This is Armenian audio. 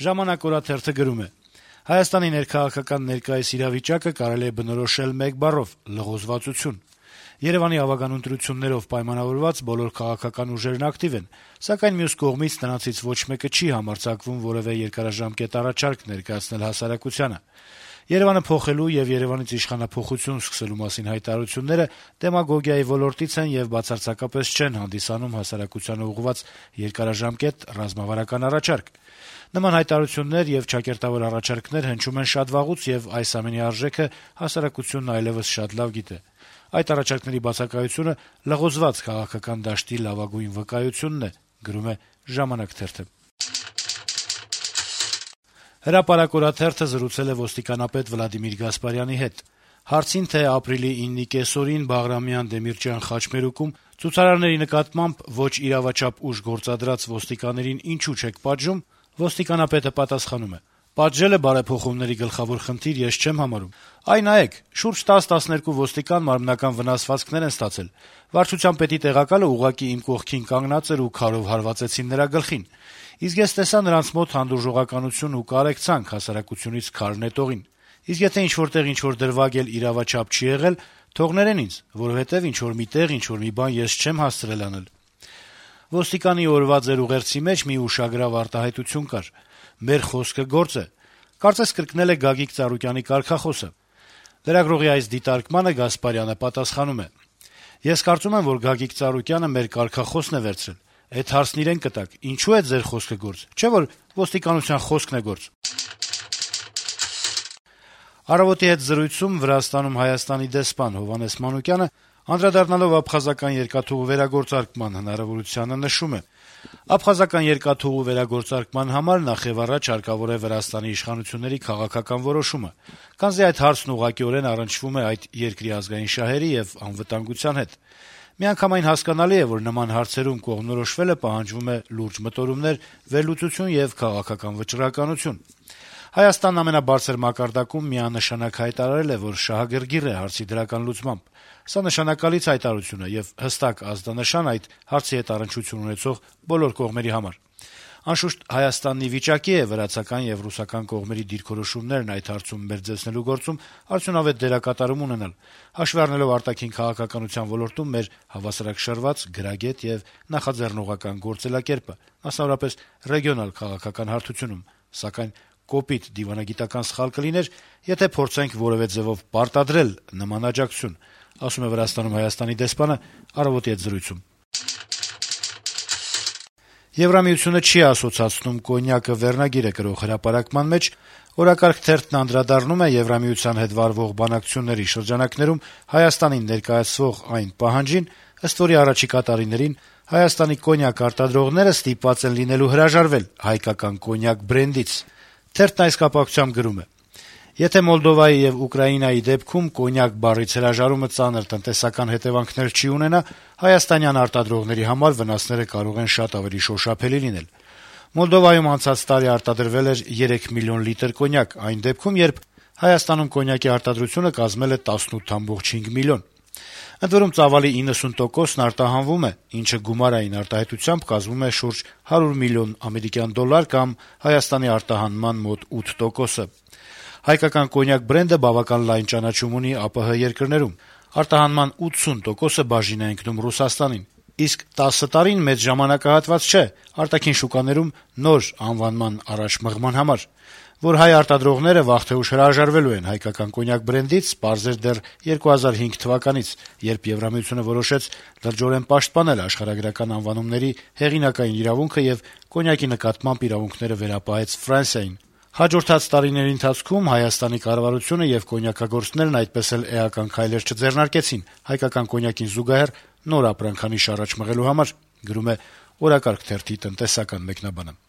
Ժամանակ օրաթերթը գրում է. - «Հայաստանի ներքաղաքական ներկայիս իրավիճակը կարելի է բնորոշել մեկ բառով՝ լղոզվածություն։ Երեւանի ավագան ընտրություններով պայմանավորված բոլոր քաղաքական ուժերն ակտիվ են, սակայն մյուս կողմից նրանցից ոչ մեկը չի համարձակվում որեւէ երկարաժամկետ առաջարկ ներկայացնել հասարակությանը։ Երեւանը փոխելու եւ Երեւանից իշխանափոխություն սկսելու մասին հայտարարությունները դեմագոգիայի ոլորտից են եւ բացարձակապես չեն հանդիսանում հասարակությանը ուղղված երկարաժամկետ ռազմավարական առաջարկ։ Նման հայտարարություններ եւ ճակերտավոր առաջարկներ հնչում են շատ վաղուց եւ այս ամենի արժեքը հասարակությունն այլեւս շատ լավ գիտե։ Այդ առաջարկների բացակայությունը լղոզված քաղաքական դաշտի լավագույն վկայությունն է», գրում է «Ժամանակ» թերթը։ «Հրապարակ» օրաթերթը զրուցել է ոստիկանապետ Վլադիմիր Գասպարյանի հետ։ Հարցին, թե ապրիլի 9-ի կեսօրին Բաղրամյան Դեմիրճյան խաչմերուկում ցուցարարների նկատմամբ ոչ իրավաչափ ուժ գործադրած ոստիկաներին ինչու չեք պատժում, ոստիկանապետը պատասխանում է. «Պատժելը բարեփոխումների գլխավոր խնդիր ես չեմ համարում։ Այ նայեք, շուրջ 10-12 ոստիկան մարմնական վնասվածքներ են ստացել։ Վարչության պետի տեղակալը ուղղակի իմ կողքին կանգնած էր ու քարով հարվածեցին նրա գլխին։ Իսկ ես տեսա նրանց մոտ հանդուրժողականություն ու կարեկցանք հասարակությունից քար նետողին։ Իսկ եթե ինչ-որտեղ ինչ-որ դրվագ էլ իրավաչափ չի եղել, թողներեն ինձ, որովհետեւ ինչ-որ միտեղ ինչ-որ մի բան ես չեմ հասցրել անել»։ Ոստիկանի օրվա ձեր ուղերձի մեջ մի ուշագրավ արտահայտություն կար. «Մեր խոսքը գործ է»։ Կարծես կրկնել է Գագիկ Ծառուկյանի կարգախոսը։ Լրագրողի այս դիտարկմանը Գասպարյանը պատասխանում է. - «Ես կարծում եմ, որ Գագիկ Ծառուկյանը մեր կարգախոսն է վերցրել։ Էդ հարցն իրեն կտակ. ինչու է ձեր խոսքը գործ, չէ՞ որ ոստիկանության խոսքն է գործ»։ «Առավոտ»-ի հետ զրույցում Վրաստանում Հայաստանի դեսպան Հովհաննես Մանուկյանը անդրադառնալով աբխազական երկաթուղու վերագործարկման հնարավորությանը նշում է. - «Աբխազական երկաթուղու վերագործարկման համար նախեւառաջ հարկավոր է Վրաստանի իշխանությունների քաղաքական որոշումը, քանզի այդ հարցն ուղղակիորեն առնչվում է այդ երկրի ազգային շահերի եւ անվտանգության հետ։ Միանգամայն հասկանալի է, որ նման հարցերում կողմնորոշվելը պահանջվում է լուրջ մտորումներ, վերլուծություն եւ քաղաքական վճռականություն։ Հայաստանն ամենաբարձր մակարդակում միանշանակ հայտարարել է, որ շահագրգիռ է հարցի դրական լուծմամբ։ Սա նշանակալից հայտարարություն է եւ հստակ ազդանշան այդ հարցի հետ առնչություն ունեցող բոլոր կողմերի համար։ Անշուշտ Հայաստանն ի վիճակի է վրացական եւ ռուսական կողմերի դիրքորոշումներն այդ հարցում մերձեցնելու գործում արդյունավետ դերակատարում ունենալ, հաշվի առնելով արտաքին քաղաքականության ոլորտում մեր հավասարակշռված, գրագետ եւ նախաձեռնողական գործելակերպը, մասնավորապես ռեգիոնալ քաղաքական հարթությունում, սակայն կոպիտ դիվանագիտական սխալ կլիներ, եթե փորձենք որեւէ ձեւով պարտադրել նման աջակցություն», ասում է Վրաստանում Հայաստանի դեսպանը «Առավոտ»-ի հետ զրույցում։ Եվրամիությունը չի ասոցացնում կոնյակը վերնագիրը գրող հրապարակման մեջ «Օրակարգ» թերթն անդրադառնում է Եվրամիության հետ վարվող բանակցությունների շրջանակներում Հայաստանին ներկայացվող այն պահանջին, ըստ որի առաջիկա տարիներին Հայաստանի կոնյակ արտադրողները ստիպված են լինելու հրաժարվել հայկական կոնյակ բրենդից։ Թերթն այս կապակցությամբ գրում է. - «Եթե Մոլդովայի եւ Ուկրաինայի դեպքում կոնյակ բառից հրաժարումը ծանր տնտեսական հետեւանքներ չի ունենա, հայաստանյան արտադրողների համար վնասները կարող են շատ ավելի շոշափելի լինել։ Մոլդովայում անցած տարի արտադրվել էր 3 միլիոն լիտր կոնյակ, այն դեպքում, երբ Հայաստանում կոնյակի արտադրությունը կազմել է 18.5 միլիոն։ Ընդ որում ծավալի 90%-ն արտահանվում է, ինչը գումարային արտահայտությամբ կազմում է շուրջ 100 միլիոն ամերիկյան դոլար կամ Հայաստանի արտահանման մոտ 8%-ը։ Հայկական կոնյակ բրենդը բավական լայն ճանաչում ունի ԱՊՀ երկրներում։ Արտահանման 80%-ը բաժին է ընկնում Ռուսաստանին։ Իսկ 10 տարին մեծ ժամանակահատված չէ արտաքին շուկաներում նոր անվանման առաջ մղման համար։ Որ հայ արտադրողները վաղ թե ուշ հրաժարվելու են հայկական կոնյակ բրենդից, պարզ էր դեռ 2005 թվականից, երբ Եվրամիությունը որոշեց լրջորեն պաշտպանել աշխարհագրական անվանումների հեղինակային իրավունքը եւ կոնյակի նկատմամբ իրավունքները վերապահեց Ֆրանսիային։ Հաջորդած տարիների ընթացքում Հայաստանի կառավարությունը եւ կոնյակագործներն այդպես էլ էական քայլեր չձեռնարկեցին հայկական կոնյակին զուգահեռ նոր ապրանքանիշ առաջ մղելու համար, գրում է «Օրակարգ» թերթի տնտեսական մեկնաբանը։